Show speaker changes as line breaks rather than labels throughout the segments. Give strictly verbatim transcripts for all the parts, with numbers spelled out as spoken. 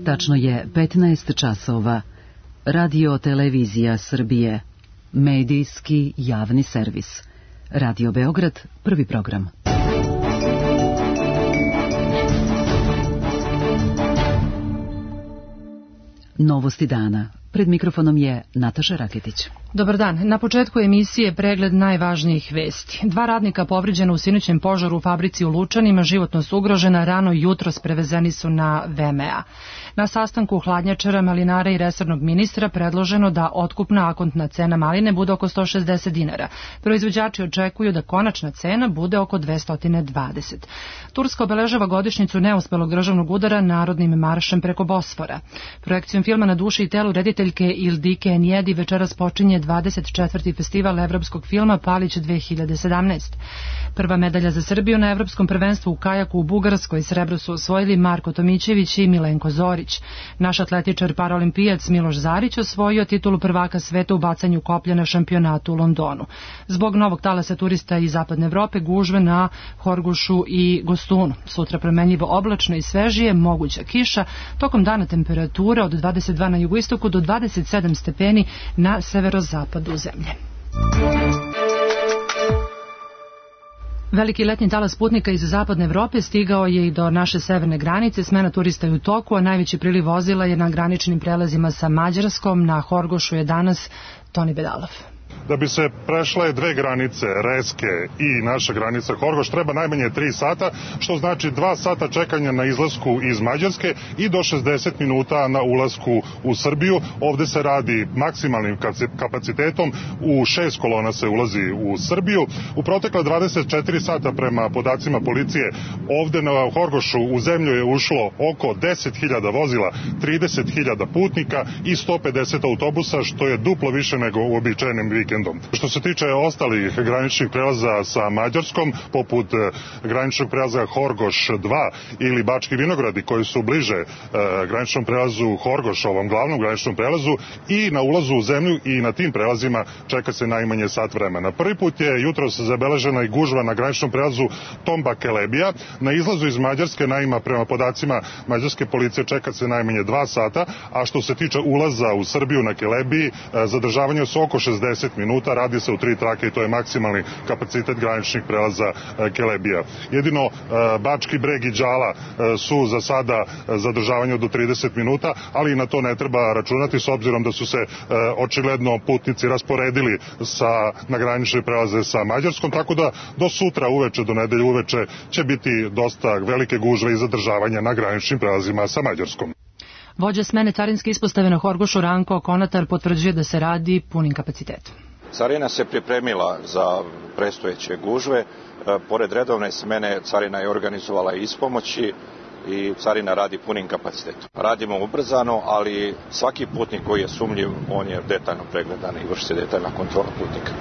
Tačno je petnaest časova. Radio Televizija Srbije. Medijski javni servis. Radio Beograd, prvi program. Novosti dana. Pred mikrofonom je Nataša Raketić.
Dobar dan. Na početku emisije pregled najvažnijih vesti. Dva radnika povrijeđena u sinoćem požaru u fabrici u Lučanima, životno su ugrožena, rano jutros prevezeni su na V M A. Na sastanku hladnjačara, malinara i resornog ministra predloženo da otkupna akontna cena maline bude oko sto šezdeset dinara. Proizvođači očekuju da konačna cena bude oko dvesta dvadeset. Turska obeležava godišnjicu neuspelog državnog udara narodnim maršem preko Bosfora. Projekcijom filma Na duši i telu rediteljke Ildike Enjedi večeras počinje dvadeset četvrti festival evropskog filma Palić dve hiljade sedamnaest. Prva medalja za Srbiju na evropskom prvenstvu u kajaku u Bugarskoj, srebro su osvojili Marko Tomićević i Milenko Zorić. Naš atletičar paraolimpijac Miloš Zarić osvojio titulu prvaka sveta u bacanju koplja na šampionatu u Londonu. Zbog novog talasa turista iz zapadne Evrope gužve na Horgošu i Gostunu. Sutra promenljivo oblačno i svežije, moguća kiša, tokom dana temperatura od dvadeset dva na jugoistoku do dvadeset sedam stepeni na severozapadu zemlje. Veliki letnji talas putnika iz zapadne Evrope stigao je i do naše severne granice. Smena turista je u toku, a najveći priliv vozila je na graničnim prelazima sa Mađarskom. Na Horgošu je danas Toni Bedalov.
Da bi se prešle dve granice, Reske i naša granica Horgoš, treba najmanje tri sata, što znači dva sata čekanja na izlasku iz Mađarske i do šezdeset minuta na ulasku u Srbiju. Ovde se radi maksimalnim kapacitetom, u šest kolona se ulazi u Srbiju. U protekla dvadeset četiri sata prema podacima policije, ovde na Horgošu u zemlju je ušlo oko deset hiljada vozila, trideset hiljada putnika i sto pedeset autobusa, što je duplo više nego u običajnim vikendom. Što se tiče ostalih graničnih prelaza sa Mađarskom, poput graničnog prelaza Horgoš dva ili Bački Vinogradi, koji su bliže e, graničnom prelazu Horgoš, ovom glavnom graničnom prelazu, i na ulazu u zemlju i na tim prelazima čeka se najmanje sat vremena. Prvi put je jutros zabeležena i gužva na graničnom prelazu Tomba Kelebija. Na izlazu iz Mađarske, naima prema podacima mađarske policije, čeka se najmanje dva sata, a što se tiče ulaza u Srbiju na Kelebiji, e, zadržavanje su oko šezdeset minuta, radi se u tri trake i to je maksimalni kapacitet graničnih prelaza Kelebija. Jedino Bački Breg i Đala su za sada zadržavanje do trideset minuta, ali i na to ne treba računati s obzirom da su se očigledno putnici rasporedili sa, na granične prelaze sa Mađarskom, tako da do sutra uveče, do nedelje uveče će biti dosta velike gužve i zadržavanja na graničnim prelazima sa Mađarskom.
Vođa smene carinske ispostave na Horgošu Ranko Konatar potvrđuje da se radi punim kapacitetom.
Carina se pripremila za predstojeće gužve. Pored redovne smene carina je organizovala ispomoći i carina radi punim kapacitetom. Radimo ubrzano, ali svaki putnik koji je sumnjiv, on je detaljno pregledan i vrši se detaljna kontrola putnika.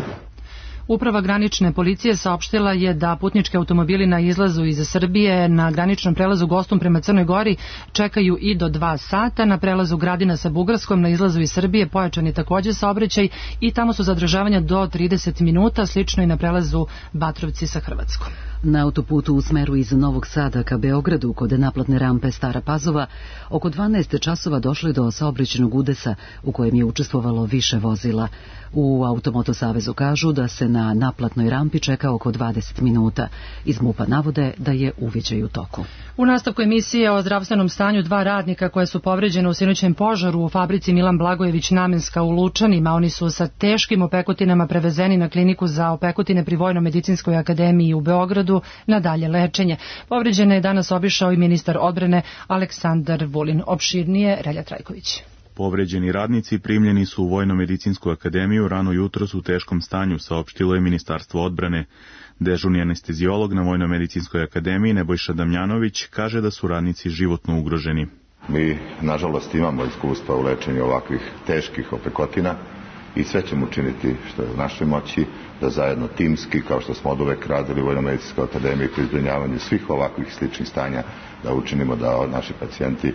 Uprava granične policije saopštila je da putnički automobili na izlazu iz Srbije na graničnom prelazu Gostum prema Crnoj Gori čekaju i do dva sata. Na prelazu Gradina sa Bugarskom na izlazu iz Srbije pojačan je također saobraćaj i tamo su zadržavanja do trideset minuta, slično i na prelazu Batrovci sa Hrvatskom.
Na autoputu u smeru iz Novog Sada ka Beogradu kod naplatne rampe Stara Pazova oko dvanaest časova došli do saobraćajnog udesa u kojem je učestvovalo više vozila. U Automoto savezu kažu da se na naplatnoj rampi čeka oko dvadeset minuta. Iz MUP-a navode da je uviđaj u toku.
U nastavku emisije o zdravstvenom stanju dva radnika koje su povređene u sinoćem požaru u fabrici Milan Blagojević Namenska u Lučanima. Oni su sa teškim opekutinama prevezeni na kliniku za opekutine pri Vojno-medicinskoj akademiji u Beogradu na dalje lečenje. Povređene je danas obišao i ministar odbrane Aleksandar Vulin. Opširnije Relja Trajković.
Povređeni radnici primljeni su u Vojno-medicinsku akademiju rano jutros u teškom stanju, saopštilo je Ministarstvo odbrane. Dežurni anesteziolog na Vojno-medicinskoj akademiji Nebojša Damjanović kaže da su radnici životno ugroženi.
Mi, nažalost, imamo iskustva u lečenju ovakvih teških opekotina i sve ćemo učiniti što je u našoj moći da zajedno timski, kao što smo od uvek radili u Vojno-medicinskoj akademiji pri zbrinjavanju svih ovakvih sličnih stanja, da učinimo da naši pacijenti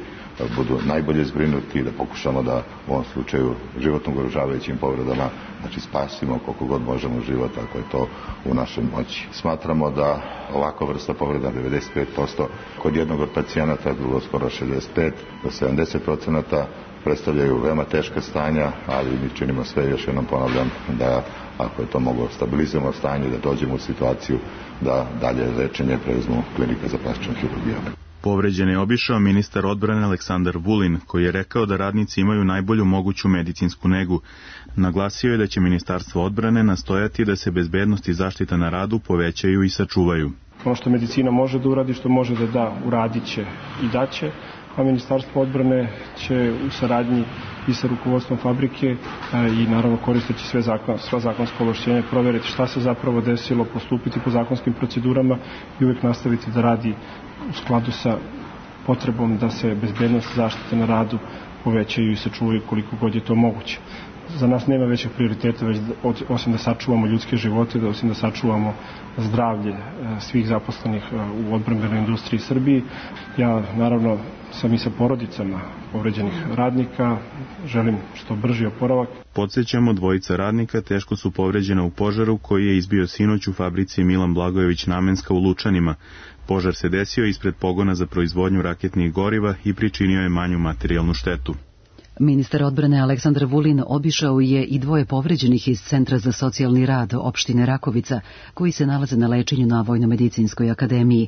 budu najbolje zbrinuti i da pokušamo da u ovom slučaju životno ugrožavajućim povredama znači spasimo koliko god možemo život ako je to u našoj moći. Smatramo da ovakva vrsta povreda devedeset pet posto kod jednog od pacijenata, drugo skoro šezdeset pet do sedamdeset procenata predstavljaju veoma teška stanja, ali mi činimo sve, još jednom ponavljam, da ako je to moglo stabilizujemo stanje, da dođemo u situaciju da dalje lečenje preuzmu klinika za plastičnu hirurgiju.
Povređen je obišao ministar odbrane Aleksandar Vulin, koji je rekao da radnici imaju najbolju moguću medicinsku negu. Naglasio je da će Ministarstvo odbrane nastojati da se bezbednost i zaštita na radu povećaju i sačuvaju.
Ono što medicina može da uradi, što može da da, uradit će i daće, a Ministarstvo odbrane će u saradnji i sa rukovodstvom fabrike i naravno koristeći sve zakon, sva zakonska ovlašćenja proveriti šta se zapravo desilo, postupiti po zakonskim procedurama i uvijek nastaviti da radi u skladu sa potrebom da se bezbednost zaštite na radu povećaju i sačuvaju koliko god je to moguće. Za nas nema većeg prioriteta već osim da sačuvamo ljudske živote, da osim da sačuvamo zdravlje svih zaposlenih u odbrambenoj industriji Srbiji. Ja naravno sam i sa porodicama povređenih radnika, želim što brži oporavak.
Podsjećamo, dvojica radnika teško su povređena u požaru koji je izbio sinoć u fabrici Milan Blagojević Namenska u Lučanima. Požar se desio ispred pogona za proizvodnju raketnih goriva i pričinio je manju materijalnu štetu.
Ministar odbrane Aleksandar Vulin obišao je i dvoje povređenih iz Centra za socijalni rad opštine Rakovica, koji se nalaze na lečenju na Vojno-medicinskoj akademiji.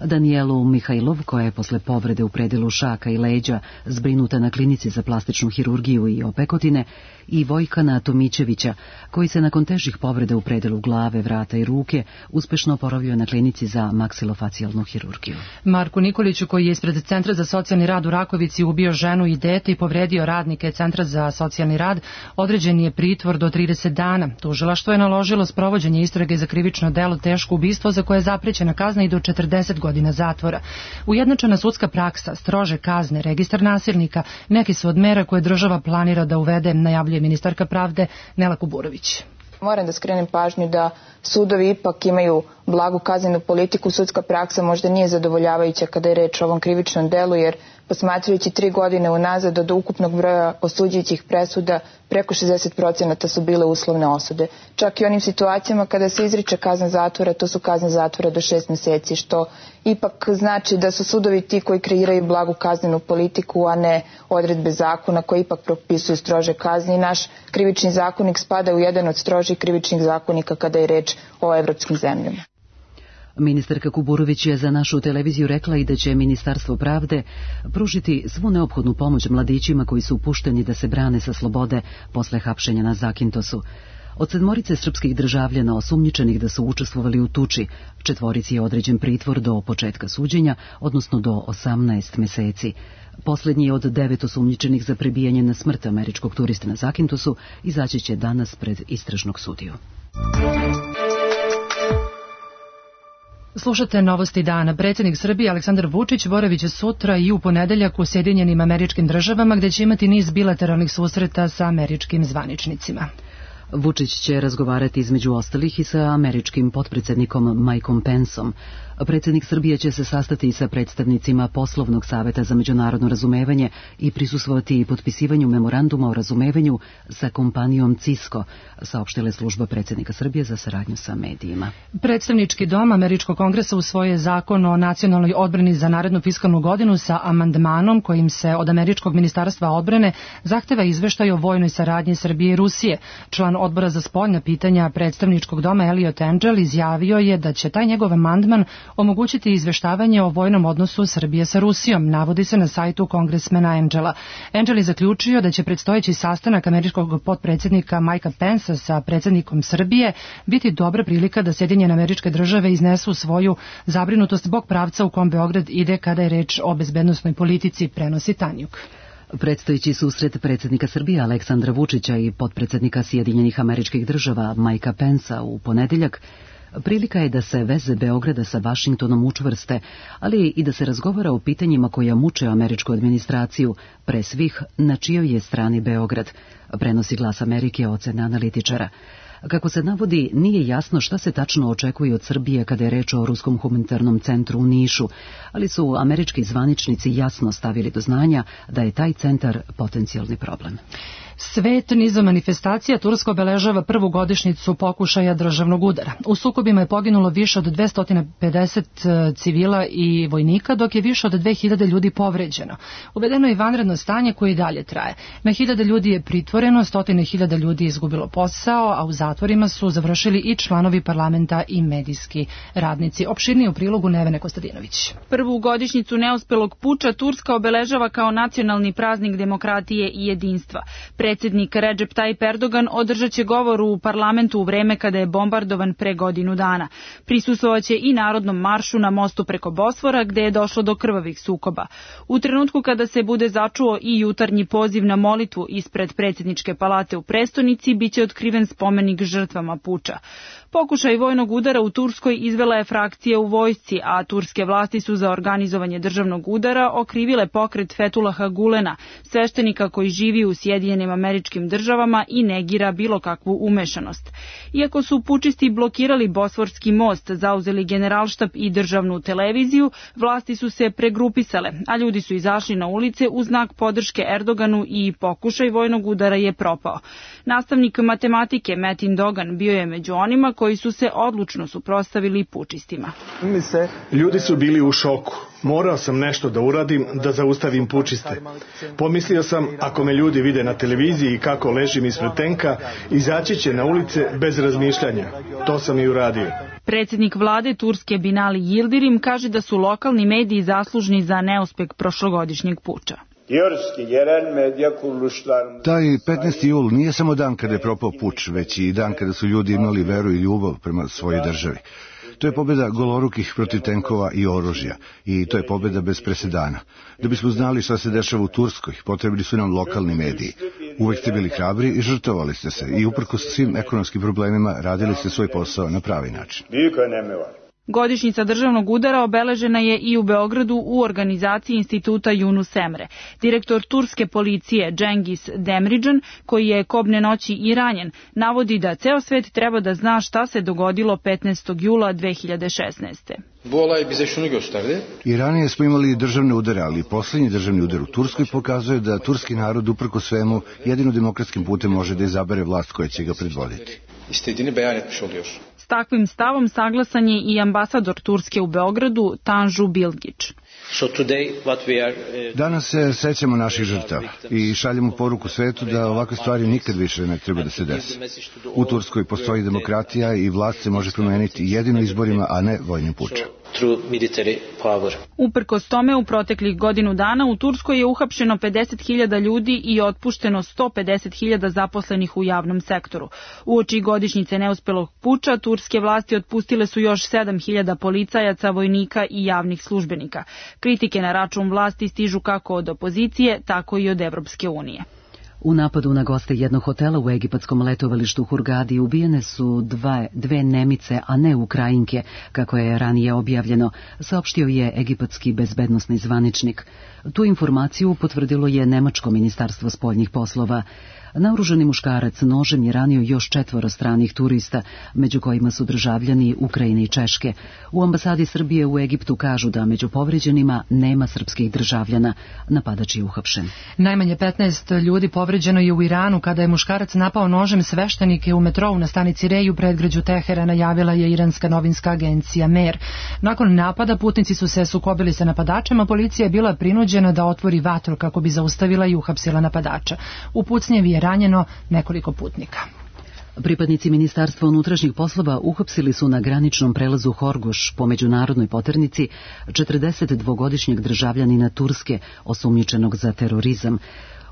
Danijelu Mihajlov, koja je posle povrede u predilu šaka i leđa zbrinuta na klinici za plastičnu hirurgiju i opekotine, i Vojkana Tomićevića, koji se nakon težih povreda u predilu glave, vrata i ruke uspešno oporavio na klinici za maksilofacijalnu hirurgiju.
Marku Nikoliću, koji je ispred Centra za socijalni rad u Rakovici ubio ženu i dete i povredio radnike Centra za socijalni rad, određen je pritvor do trideset dana. Tužilaštvo je naložilo sprovođenje istrage za krivično delo teško ubistvo za koje je zaprećena kazna i do četrdeset godina zatvora. Ujednačena sudska praksa, strože kazne, registar nasilnika, neki su od mera koje država planira da uvede, najavljuje ministarka pravde Nela Kuburović.
Moram da skrenem pažnju da sudovi ipak imaju blagu kaznenu politiku. Sudska praksa možda nije zadovoljavajuća kada je reč o ovom krivičnom delu, jer posmatrajući tri godine unazad od ukupnog broja osuđujućih presuda preko šezdeset procenata su bile uslovne osude. Čak i onim situacijama kada se izriče kazna zatvora, to su kazne zatvora do šest meseci, što ipak znači da su sudovi ti koji kreiraju blagu kaznenu politiku, a ne odredbe zakona koji ipak propisuju strože kazne. I naš krivični zakonik spada u jedan od strožih krivičnih zakonika kada je reč o evropskim zemljama.
Ministarka Kuburović je za našu televiziju rekla i da će Ministarstvo pravde pružiti svu neophodnu pomoć mladićima koji su pušteni da se brane sa slobode posle hapšenja na Zakintosu. Od sedmorice srpskih državljana osumnjičenih da su učestvovali u tuči, četvorici je određen pritvor do početka suđenja, odnosno do osamnaest meseci. Poslednji od devet osumnjičenih za prebijanje na smrt američkog turista na Zakintosu izaći će danas pred istražnog sudiju.
Slušate Novosti dana. Predsjednik Srbije Aleksandar Vučić boravit će sutra i u ponedeljak u Sjedinjenim Američkim Državama, gde će imati niz bilateralnih susreta sa američkim zvaničnicima.
Vučić će razgovarati između ostalih i sa američkim potpredsjednikom Mikeom Penceom. Predsjednik Srbije će se sastati i sa predstavnicima Poslovnog saveta za međunarodno razumevanje i prisustvovati i potpisivanju memoranduma o razumevanju sa kompanijom Cisco, saopštila služba predsjednika Srbije za saradnju sa medijima.
Predstavnički dom Američkog kongresa usvojio je zakon o nacionalnoj odbrani za narednu fiskalnu godinu sa amandmanom kojim se od Američkog ministarstva odbrane zahteva izveštaj o vojnoj saradnji Srbije i Rusije. Član odbora za spoljna pitanja predstavničkog doma Elliot Engel izjavio je da će taj njegov amandman omogućiti izveštavanje o vojnom odnosu Srbije sa Rusijom, navodi se na sajtu kongresmena Engela. Engel je zaključio da će predstojeći sastanak američkog potpredsjednika Mikea Pencea sa predsjednikom Srbije biti dobra prilika da Sjedinjene Američke Države iznesu svoju zabrinutost zbog pravca u kom Beograd ide kada je reč o bezbednosnoj politici, prenosi Tanjuk.
Predstojeći susret predsjednika Srbije Aleksandra Vučića i potpredsjednika Sjedinjenih Američkih Država Mikea Pencea u ponedeljak Prilika je da se veze Beograda sa Vašingtonom učvrste, ali i da se razgovara o pitanjima koja muče američku administraciju, pre svih na čijoj je strani Beograd, prenosi Glas Amerike ocena analitičara. Kako se navodi, nije jasno šta se tačno očekuje od Srbije kada je reč o Ruskom humanitarnom centru u Nišu, ali su američki zvaničnici jasno stavili do znanja da je taj centar potencijalni problem.
Svet nizom manifestacija Turska obeležava prvu godišnjicu pokušaja državnog udara. U sukobima je poginulo više od dvesta pedeset civila i vojnika, dok je više od dve hiljade ljudi povređeno. Uvedeno je vanredno stanje koje i dalje traje. Na hiljade ljudi je pritvoreno, stotine hiljada ljudi je izgubilo posao, a u zatvorima su završili i članovi parlamenta i medijski radnici. Opširnije u prilogu Nevene Kostadinović.
Prvu godišnjicu neuspelog puča Turska obeležava kao nacionalni praznik demokratije i jedinstva. Predsjednik Recep Tayyip Erdogan održat će govor u parlamentu u vreme kada je bombardovan pre godinu dana. Prisustvovaće i narodnom maršu na mostu preko Bosfora gde je došlo do krvavih sukoba. U trenutku kada se bude začuo i jutarnji poziv na molitvu ispred predsjedničke palate u prestonici, biće otkriven spomenik žrtvama puča. Pokušaj vojnog udara u Turskoj izvela je frakcija u vojsci, a turske vlasti su za organizovanje državnog udara okrivile pokret Fethullaha Gulena, sveštenika koji živi u Sjedinjenim Američkim Državama i negira bilo kakvu umešanost. Iako su pučisti blokirali Bosforski most, zauzeli generalštab i državnu televiziju, vlasti su se pregrupisale, a ljudi su izašli na ulice u znak podrške Erdoganu i pokušaj vojnog udara je propao. Nastavnik matematike Metin Dogan bio je među onima koji su se odlučno suprotstavili pučistima.
Ljudi su bili u šoku. Morao sam nešto da uradim, da zaustavim pučiste. Pomislio sam, ako me ljudi vide na televiziji kako ležim ispred tenka, izaći će na ulice bez razmišljanja. To sam i uradio.
Predsjednik vlade Turske Binali Yildirim kaže da su lokalni mediji zaslužni za neuspeh prošlogodišnjeg puča.
Taj petnaesti jul nije samo dan kada je propao puč, već i dan kada su ljudi imali veru i ljubav prema svojoj državi. To je pobjeda golorukih protiv tenkova i oružja i to je pobjeda bez presedana. Da bismo znali šta se dešava u Turskoj, potrebni su nam lokalni mediji. Uvek ste bili hrabri i žrtvovali ste se i uprkos svim ekonomskim problemima radili ste svoj posao na pravi način.
Godišnjica državnog udara obeležena je i u Beogradu u organizaciji instituta Yunus Emre. Direktor turske policije Cengiz Demircan, koji je kobne noći i ranjen, navodi da ceo svet treba da zna šta se dogodilo petnaestog jula dve hiljade šesnaeste.
I ranije smo imali državne udare, ali posljednji državni udar u Turskoj pokazuje da turski narod uprko svemu jedino demokratskim putem može da izabere vlast koja će ga predvoditi.
S takvim stavom saglasan je i ambasador Turske u Beogradu Tanju Bilgić.
Danas se sećamo naših žrtava i šaljemo poruku svetu da ovakve stvari nikad više ne treba da se desi. U Turskoj postoji demokratija i vlast se može promeniti jedino izborima, a ne vojnim pučem.
Uprkos tome, u proteklih godinu dana u Turskoj je uhapšeno pedeset hiljada ljudi i otpušteno sto pedeset hiljada zaposlenih u javnom sektoru. Uoči godišnjice neuspelog puča, turske vlasti otpustile su još sedam hiljada policajaca, vojnika i javnih službenika. Kritike na račun vlasti stižu kako od opozicije, tako i od Evropske unije.
U napadu na goste jednog hotela u egipatskom letovalištu Hurgadi ubijene su dva, dve Nemice, a ne Ukrajinke, kako je ranije objavljeno, saopštio je egipatski bezbednosni zvaničnik. Tu informaciju potvrdilo je Nemačko ministarstvo spoljnih poslova. Naoružani muškarac nožem je ranio još četvoro stranih turista, među kojima su državljani Ukrajine i Češke. U ambasadi Srbije u Egiptu kažu da među povređenima nema srpskih državljana. Napadač je uhapšen.
Najmanje petnaest ljudi povređeno je u Iranu kada je muškarac napao nožem sveštenike u metrou na stanici Rej u predgrađu Teherana, javila je iranska novinska agencija Mer. Nakon napada putnici su se sukobili sa napadačem, a policija je bila prinuđena da otvori vatru kako bi zaustavila i uhapsila napadača. U pucnjevi je ranjeno nekoliko putnika.
Pripadnici Ministarstva unutrašnjih poslova uhapsili su na graničnom prelazu Horgoš po međunarodnoj poternici četrdesetdvogodišnjeg državljanina Turske osumnjičenog za terorizam.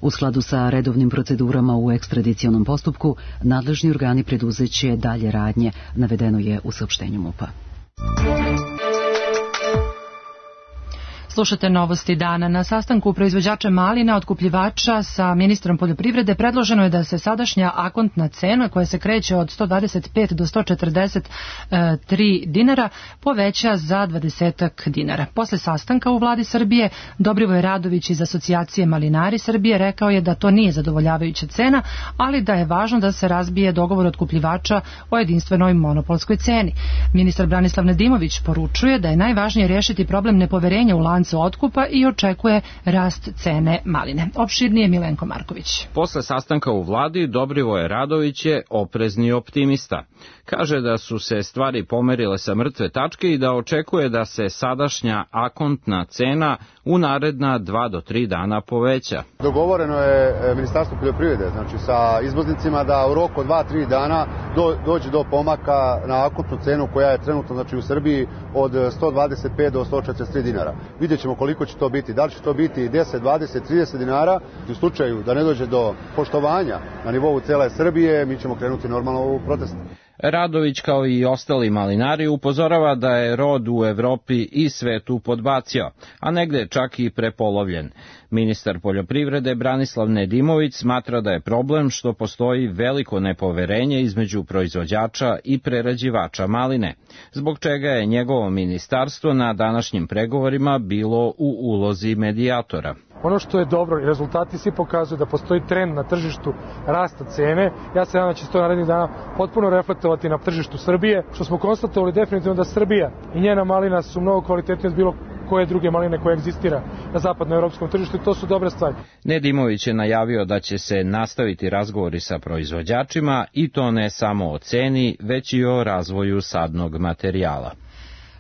U skladu sa redovnim procedurama u ekstradicionom postupku, nadležni organi preduzeće dalje radnje, navedeno je u saopštenju MUP-a.
Slušate novosti dana. Na sastanku proizvođača malina, otkupljivača sa ministrom poljoprivrede predloženo je da se sadašnja akontna cena, koja se kreće od sto dvadeset pet do sto četrdeset tri dinara, poveća za dvadesetak dinara. Posle sastanka u vladi Srbije, Dobrivoje Radović iz Asocijacije Malinari Srbije rekao je da to nije zadovoljavajuća cena, ali da je važno da se razbije dogovor otkupljivača o jedinstvenoj monopolskoj ceni. Ministar Branislav Nedimović poručuje da je najvažnije rešiti problem nepoverenja u lancu otkupa i očekuje rast cene maline. Opširnije Milenko Marković.
Posle sastanka u vladi, Dobrivoje Radović je oprezni optimista. Kaže da su se stvari pomerile sa mrtve tačke i da očekuje da se sadašnja akontna cena u naredna dva do tri dana poveća.
Dogovoreno je Ministarstvo poljoprivrede, znači sa izvoznicima, da u roku od dva do tri dana do, dođe do pomaka na akontnu cenu koja je trenutno, znači, u Srbiji od sto dvadeset pet do sto četrdeset tri dinara. Vidjet ćemo koliko će to biti. Da li će to biti deset, dvadeset, trideset dinara? U slučaju da ne dođe do poštovanja na nivou cele Srbije, mi ćemo krenuti normalno u protest.
Radović, kao i ostali malinari, upozorava da je rod u Evropi i svetu podbacio, a negde čak i prepolovljen. Ministar poljoprivrede Branislav Nedimović smatra da je problem što postoji veliko nepoverenje između proizvođača i prerađivača maline, zbog čega je njegovo ministarstvo na današnjim pregovorima bilo u ulozi medijatora.
Ono što je dobro, rezultati svi pokazuju da postoji trend na tržištu rasta cene. Ja se nadam da će se to narednih dana potpuno reflektovati na tržištu Srbije, što smo konstatovali definitivno da Srbija i njena malina su mnogo kvalitetnije od bilo koje druge maline koje egzistira na zapadnoevropskom tržištu i to su dobre stvari.
Nedimović je najavio da će se nastaviti razgovori sa proizvođačima i to ne samo o ceni, već i o razvoju sadnog materijala.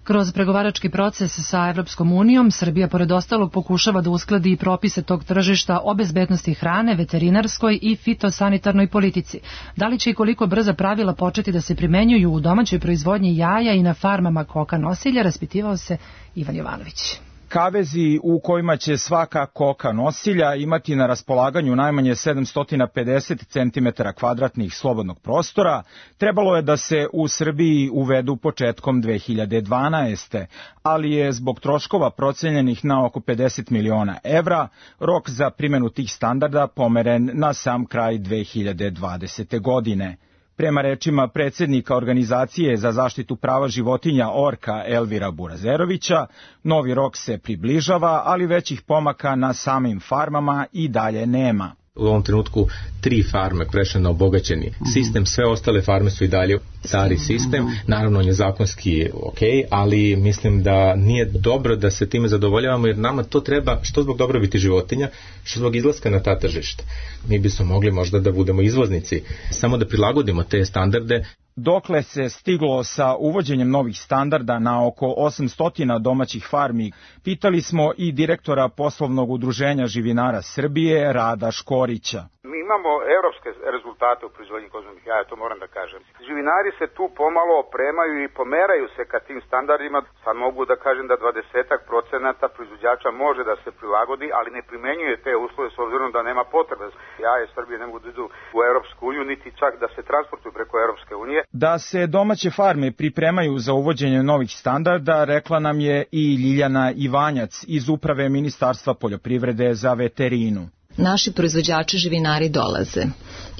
Kroz pregovarački proces sa Evropskom unijom, Srbija pored ostalog pokušava da uskladi i propise tog tržišta o bezbednosti hrane, veterinarskoj i fitosanitarnoj politici. Da li će i koliko brza pravila početi da se primenjuju u domaćoj proizvodnji jaja i na farmama koka nosilja, raspitivao se Ivan Jovanović.
Kavezi u kojima će svaka koka nosilja imati na raspolaganju najmanje sedamsto pedeset centimetara kvadratnih slobodnog prostora, trebalo je da se u Srbiji uvedu početkom dve hiljade dvanaeste. ali je zbog troškova procenjenih na oko pedeset miliona evra rok za primjenu tih standarda pomeren na sam kraj dve hiljade dvadesete. godine. Prema rečima predsjednika Organizacije za zaštitu prava životinja Orka Elvira Burazerovića, novi rok se približava, ali većih pomaka na samim farmama i dalje nema.
U ovom trenutku tri farme prešle na obogaćeni sistem, sve ostale farme su i dalje stari sistem. Naravno, on je zakonski ok, ali mislim da nije dobro da se time zadovoljavamo, jer nama to treba što zbog dobrobiti životinja, što zbog izlaska na ta tržišta. Mi bismo mogli možda da budemo izvoznici, samo da prilagodimo te standarde.
Dokle se stiglo sa uvođenjem novih standarda na oko osamsto domaćih farmi, pitali smo i direktora poslovnog udruženja živinara Srbije, Rada Škorića.
Mi imamo evropske rezultate u proizvodnji kozmenih jaja, to moram da kažem. Živinari se tu pomalo opremaju i pomeraju se ka tim standardima. Sad mogu da kažem da dvadesetak procenata proizvođača može da se prilagodi, ali ne primenjuje te uslove s obzirom da nema potrebe. Jaje Srbije ne mogu da idu u Evropsku uniju, niti čak da se transportuju preko Evropske unije.
Da se domaće farme pripremaju za uvođenje novih standarda, rekla nam je i Ljiljana Ivanjac iz Uprave Ministarstva poljoprivrede za veterinu.
Naši proizvođači živinari dolaze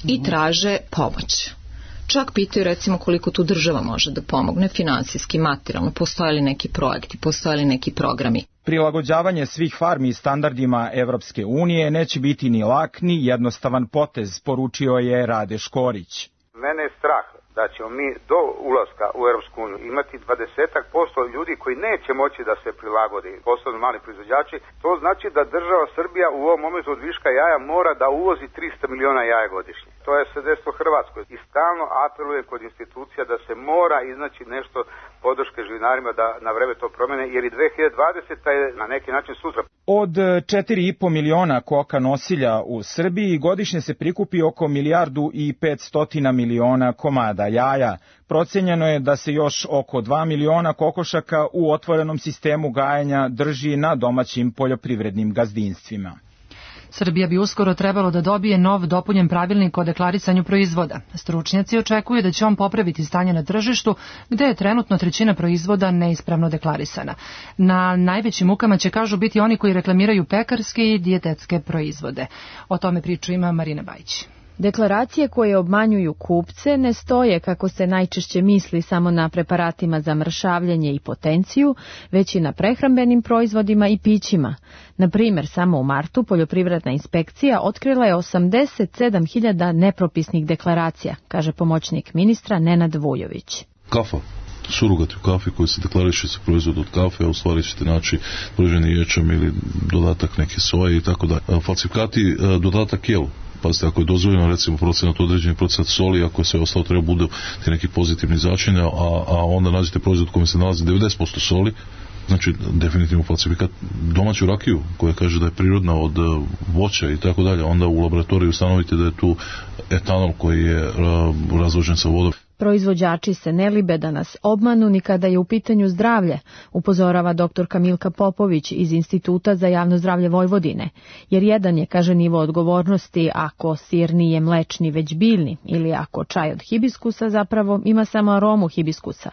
i traže pomoć. Čak pitaju recimo koliko tu država može da pomogne finansijski, materijalno, postoje li neki projekti, postoje li neki programi.
Prilagođavanje svih farmi standardima Evropske unije neće biti ni lak ni jednostavan potez, poručio je Rade Škorić.
Mene je strah da ćemo mi do ulaska u Evropsku uniju imati dvadesetak posto ljudi koji neće moći da se prilagodi, posebno mali proizvođači. To znači da država Srbija u ovom momentu od viška jaja mora da uvozi trista miliona jaja godišnje. To je sredstvo Hrvatskoj i stalno apelujem kod institucija da se mora iznaći nešto podrške živinarima da na vreme to promene, jer i dve hiljade dvadeseta je na neki način sutra.
Od četiri i po miliona koka nosilja u Srbiji godišnje se prikupi oko milijardu i petsto miliona komada jaja. Procenjeno je da se još oko dva miliona kokošaka u otvorenom sistemu gajenja drži na domaćim poljoprivrednim gazdinstvima.
Srbija bi uskoro trebalo da dobije nov dopunjen pravilnik o deklarisanju proizvoda. Stručnjaci očekuju da će on popraviti stanje na tržištu, gde je trenutno trećina proizvoda neispravno deklarisana. Na najvećim mukama će, kažu, biti oni koji reklamiraju pekarske i dijetetske proizvode. O tome priču ima Marina Bajić.
Deklaracije koje obmanjuju kupce ne stoje, kako se najčešće misli, samo na preparatima za mršavljenje i potenciju, već i na prehrambenim proizvodima i pićima. Na primjer, samo u martu poljoprivredna inspekcija otkrila je osamdeset sedam hiljada nepropisnih deklaracija, kaže pomoćnik ministra Nenad Vujović.
Kafa. Surogati u kafi koji se deklariše se proizvod od kafe, a u stvari ćete naći proizvodni ječam ili dodatak neke soje i tako dalje. Falsifikati, dodatak jelu. Pazite, ako je dozvoljeno recimo procenat, određeni procenat soli, ako sve ostalo treba bude neki pozitivni začinja, a, a onda nađete proizvod u kojem se nalazi devedeset posto soli, znači definitivno falsifikat. Domaću rakiju koja kaže da je prirodna od voća i tako dalje, onda u laboratoriju ustanovite da je tu etanol koji je uh, razložen sa vodom.
Proizvođači se ne libe da nas obmanu ni kada je u pitanju zdravlje, upozorava doktorka Milka Popović iz Instituta za javno zdravlje Vojvodine, jer jedan je, kaže, nivo odgovornosti ako sir nije mlečni već biljni ili ako čaj od hibiskusa zapravo ima samo aromu hibiskusa.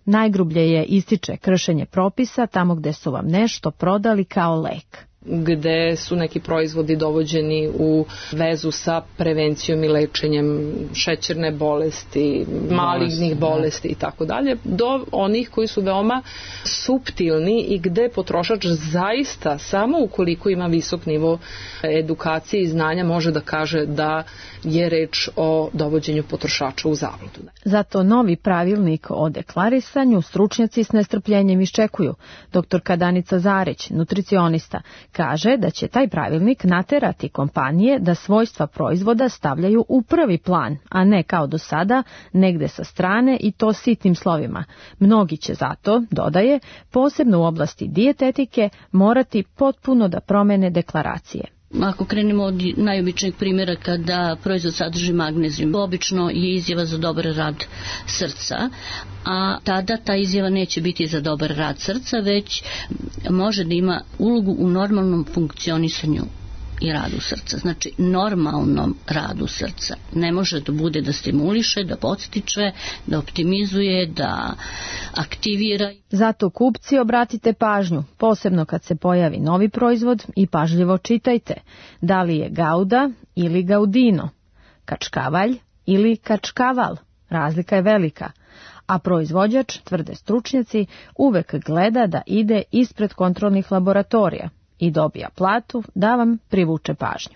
Najgrublje je, ističe, kršenje propisa tamo gde su vam nešto prodali kao lek,
gde su neki proizvodi dovođeni u vezu sa prevencijom i lečenjem šećerne bolesti, malignih bolesti i tako dalje, do onih koji su veoma suptilni i gde potrošač zaista samo ukoliko ima visok nivo edukacije i znanja može da kaže da je reč o dovođenju potrošača u zabludu.
Zato novi pravilnik o deklarisanju stručnjaci s nestrpljenjem iščekuju. Doktorka Danica Zarić, nutricionista, kaže da će taj pravilnik naterati kompanije da svojstva proizvoda stavljaju u prvi plan, a ne kao do sada, negde sa strane i to sitnim slovima. Mnogi će zato, dodaje, posebno u oblasti dijetetike, morati potpuno da promene deklaracije.
Ako krenemo od najobičnijeg primjera kada proizvod sadrži magnezijum, obično je izjava za dobar rad srca, a tada ta izjava neće biti za dobar rad srca, već može da ima ulogu u normalnom funkcionisanju i radu srca. Znači, normalnom radu srca. Ne može da bude da stimuliše, da podstiče, da optimizuje, da aktivira.
Zato kupci obratite pažnju, posebno kad se pojavi novi proizvod i pažljivo čitajte. Da li je Gauda ili Gaudino, kačkavalj ili kačkaval. Razlika je velika. A proizvođač, tvrde stručnjaci, uvek gleda da ide ispred kontrolnih laboratorija i dobija platu da vam privuče pažnju.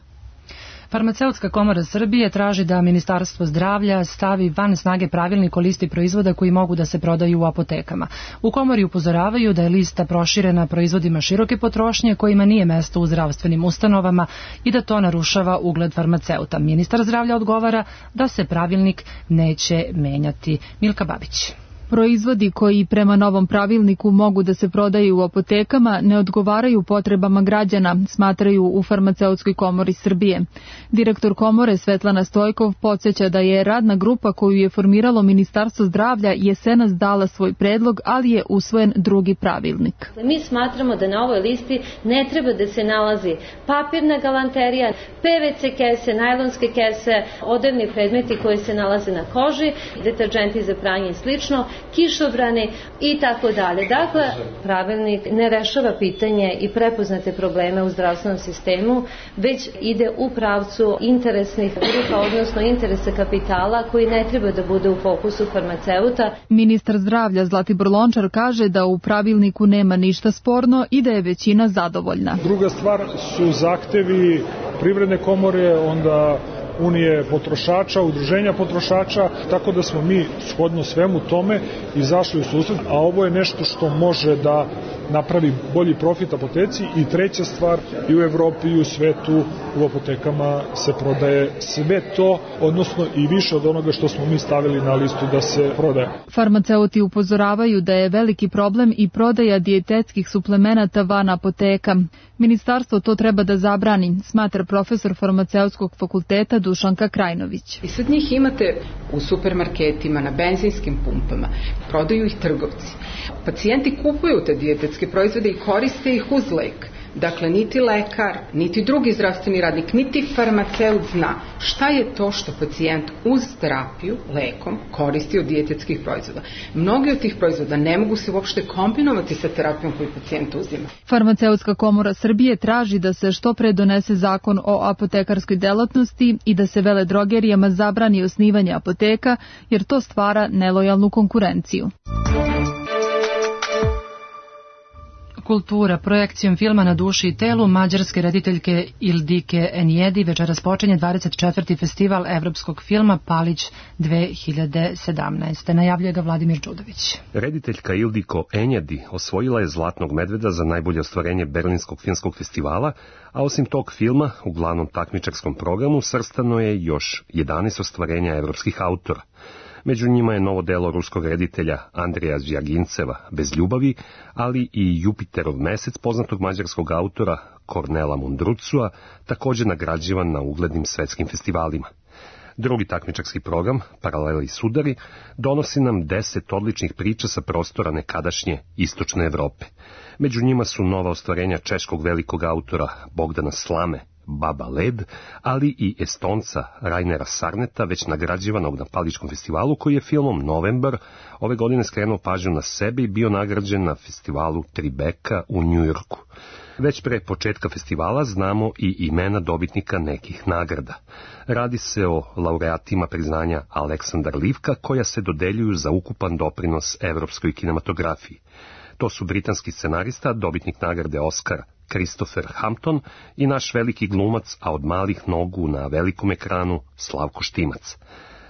Farmaceutska komora Srbije traži da Ministarstvo zdravlja stavi van snage pravilnik o listi proizvoda koji mogu da se prodaju u apotekama. U komori upozoravaju da je lista proširena proizvodima široke potrošnje kojima nije mesto u zdravstvenim ustanovama i da to narušava ugled farmaceuta. Ministar zdravlja odgovara da se pravilnik neće menjati. Milka Babić.
Proizvodi koji prema novom pravilniku mogu da se prodaju u apotekama ne odgovaraju potrebama građana, smatraju u Farmaceutskoj komori Srbije. Direktor komore Svetlana Stojkov podsjeća da je radna grupa koju je formiralo Ministarstvo zdravlja jesenas dala svoj predlog, ali je usvojen drugi pravilnik.
Mi smatramo da na ovoj listi ne treba da se nalazi papirna galanterija, pe ve ce kese, najlonske kese, odevni predmeti koji se nalaze na koži, deterdženti za pranje i slično, kišobrani i tako dalje. Dakle, pravilnik ne rešava pitanje i prepoznate probleme u zdravstvenom sistemu, već ide u pravcu interesnih grupa, odnosno interesa kapitala koji ne treba da bude u fokusu farmaceuta.
Ministar zdravlja Zlatibor Lončar kaže da u pravilniku nema ništa sporno i da je većina zadovoljna.
Druga stvar su zahtevi Privredne komore, onda Unije potrošača, udruženja potrošača, tako da smo mi shodno svemu tome izašli u susret, a ovo je nešto što može da napravi bolji profit apoteci. I treća stvar, i u Evropi i u svetu u apotekama se prodaje sve to, odnosno i više od onoga što smo mi stavili na listu da se prodaje.
Farmaceuti upozoravaju da je veliki problem i prodaja dijetetskih suplemenata van apoteka. Ministarstvo to treba da zabrani, smatra profesor farmaceutskog fakulteta Dušanka Krajnović.
I sad njih imate u supermarketima, na benzinskim pumpama, prodaju ih trgovci. Pacijenti kupuju te dijetetske proizvode i koriste ih uz lek. Dakle, niti lekar, niti drugi zdravstveni radnik, niti farmaceut zna šta je to što pacijent uz terapiju, lekom, koristi od dijetetskih proizvoda. Mnogi od tih proizvoda ne mogu se uopšte kombinovati sa terapijom koju pacijent uzima.
Farmaceutska komora Srbije traži da se što pre donese zakon o apotekarskoj delatnosti i da se veledrogerijama zabrani osnivanje apoteka, jer to stvara nelojalnu konkurenciju.
Kultura. Projekcijom filma Na duši i telu mađarske rediteljke Ildike Enjedi večeras počinje dvadeset četvrti festival evropskog filma Palić dve hiljade sedamnaeste. Najavljuje ga Vladimir Đudović.
Rediteljka Ildiko Enjedi osvojila je Zlatnog medveda za najbolje ostvarenje Berlinskog filmskog festivala, a osim tog filma u glavnom takmičarskom programu svrstano je još jedanaest ostvarenja evropskih autora. Među njima je novo delo ruskog reditelja Andreja Zvjaginceva Bez ljubavi, ali i Jupiterov mesec poznatog mađarskog autora Kornela Mundrucua, također nagrađivan na uglednim svetskim festivalima. Drugi takmičarski program, Paraleli sudari, donosi nam deset odličnih priča sa prostora nekadašnje istočne Evrope. Među njima su nova ostvarenja češkog velikog autora Bogdana Slame, Baba Led, ali i Estonca Rainera Sarneta, već nagrađivanog na Paličkom festivalu, koji je filmom Novembar ove godine skrenuo pažnju na sebe i bio nagrađen na festivalu Tribeca u Njujorku. Već pre početka festivala znamo i imena dobitnika nekih nagrada. Radi se o laureatima priznanja Aleksandar Livka, koja se dodeljuju za ukupan doprinos evropskoj kinematografiji. To su britanski scenarista, dobitnik nagrade Oscar Christopher Hampton i naš veliki glumac, a od malih nogu na velikom ekranu Slavko Štimac.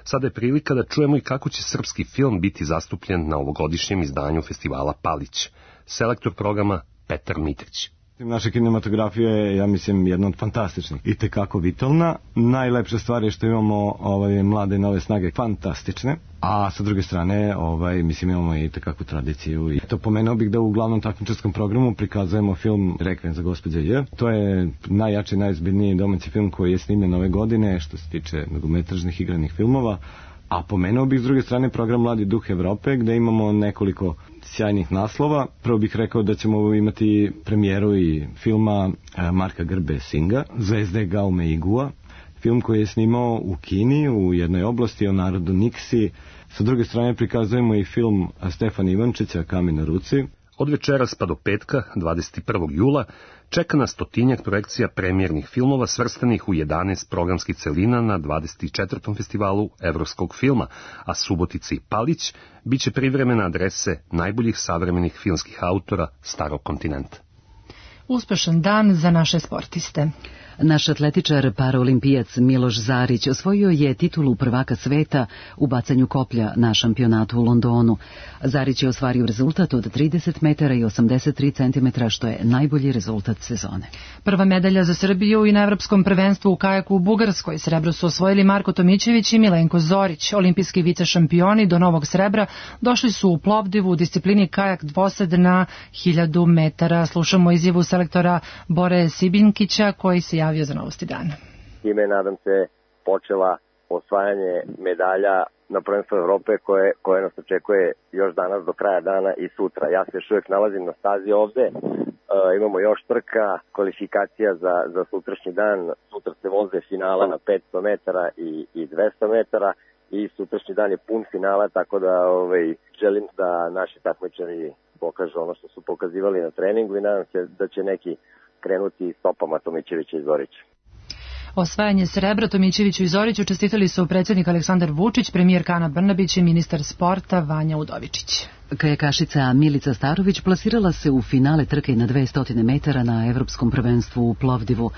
Sada je prilika da čujemo i kako će srpski film biti zastupljen na ovogodišnjem izdanju festivala Palić. Selektor programa Petar Mitrić.
Naša kinematografija je, ja mislim, jedna od fantastičnih i tekako vitalna. Najlepša stvar je što imamo ovaj, mlade nove snage fantastične, a sa druge strane ovaj, mislim, imamo i tekakvu tradiciju. I to pomenuo bih da u glavnom takmičarskom programu prikazujemo film Rekviem za gospođe J. To je najjači, najozbiljniji domaći film koji je snimljen ove godine što se tiče mnogometražnih igranih filmova. A pomenuo bih s druge strane program Mladi duh Evrope, gde imamo nekoliko sjajnih naslova. Prvo bih rekao da ćemo imati premijeru i filma Marka Grbe Singa, Zvezde Gaume Igua, film koji je snimao u Kini, u jednoj oblasti o narodu Niksi. Sa druge strane prikazujemo i film Stefana Ivančića Kamen na ruci.
Od večeras pa do petka, dvadeset prvog jula, čeka nas stotinjak projekcija premijernih filmova svrstanih u jedanaest programskih celina na dvadeset četvrtom festivalu evropskog filma, a Subotica i Palić biće privremene adrese najboljih savremenih filmskih autora starog kontinenta.
Uspešan dan za naše sportiste.
Naš atletičar paraolimpijac Miloš Zarić osvojio je titulu prvaka sveta u bacanju koplja na šampionatu u Londonu. Zarić je ostvario rezultat od trideset metara i osamdeset tri centimetra, što je najbolji rezultat sezone.
Prva medalja za Srbiju i na evropskom prvenstvu u kajaku u Bugarskoj. Srebro su osvojili Marko Tomićević i Milenko Zorić. Olimpijski vice šampioni do novog srebra došli su u Plovdivu u disciplini kajak dvosed na hiljadu metara. Slušamo izjavu selektora Bore Sibinkića koji se javio za Novosti dana.
Time, nadam se, počela osvajanje medalja na prvenstvu Evrope koje, koje nas očekuje još danas do kraja dana i sutra. Ja se još uvijek nalazim na stazi ovde, e, imamo još trka, kvalifikacija za, za sutrašnji dan. Sutra se voze finala na petsto metara i, i dvesta metara i sutrašnji dan je pun finala, tako da ovaj, želim da naši takmičari pokažu ono što su pokazivali na treningu i nadam se da će neki krenuti stopama Tomićevića i Zorića.
Osvajanje srebra Tomićeviću i Zoriću čestitali su predsjednik Aleksandar Vučić, premijerka Ana Brnabić i ministar sporta Vanja Udovičić.
Kajakašica Milica Starović plasirala se u finale trke na dvesta metara na Evropskom prvenstvu u Plovdivu.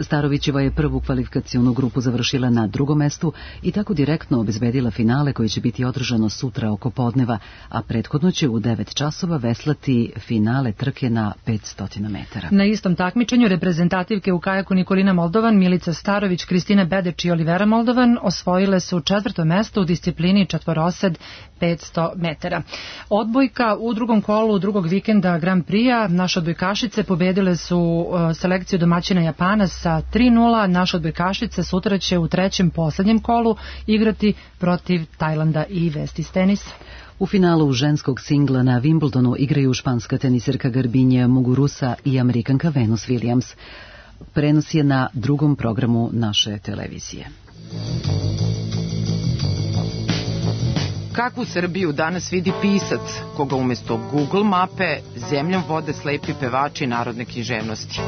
Starovićeva je prvu kvalifikacionu grupu završila na drugom mestu i tako direktno obezbedila finale koje će biti održano sutra oko podneva, a prethodno će u devet časova veslati finale trke na petsto metara.
Na istom takmičenju reprezentativke u kajaku Nikolina Moldovan, Milica Starović, Kristina Bedeč i Olivera Moldovan osvojile su četvrto mesto u disciplini četvorosed petsto metara. Odbojka u drugom kolu drugog vikenda Grand Prix-a naše odbojkašice pobedile su selekciju domaćina Japana sa tri nula. Naše odbojkašice sutra će u trećem poslednjem kolu igrati protiv Tajlanda i vesti iz tenisa.
U finalu ženskog singla na Wimbledonu igraju španska teniserka Garbinja Muguruza i Amerikanka Venus Williams. Prenos je na drugom programu naše televizije.
Kakvu Srbiju danas vidi pisac, koga umjesto Google mape zemljom vode slepi pevači narodne književnosti?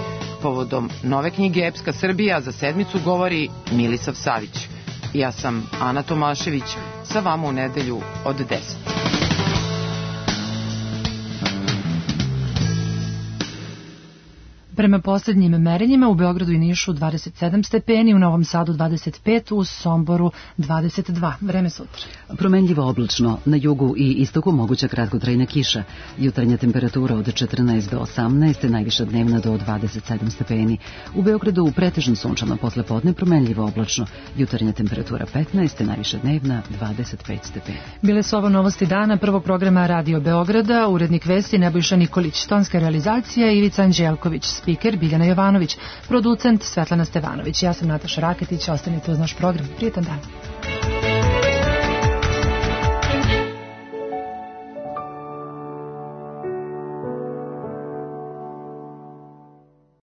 Povodom nove knjige Epska Srbija za sedmicu govori Milisav Savić. Ja sam Ana Tomašević, sa vama u nedelju od deset.
Prema posljednjim merenjima u Beogradu i Nišu dvadeset sedam stepeni, u Novom Sadu dvadeset pet, u Somboru dvadeset dva. Vreme sutra.
Promenljivo oblačno, na jugu i istoku moguća kratkotrajna kiša. Jutarnja temperatura od četrnaest do osamnaest, najviša dnevna do dvadeset sedam stepeni. U Beogradu pretežno sunčano, posle podne promenljivo oblačno. Jutarnja temperatura petnaest, najviša dnevna dvadeset pet stepeni.
Bile su ovo novosti dana prvog programa Radio Beograda, urednik vesti Nebojša Nikolić, tonska realizacija Ivica Anđelković, spiker Biljana Jovanović, producent Svetlana Stevanović. Ja sam Nataša Raketić, ostanite uz naš program. Prijetan dan.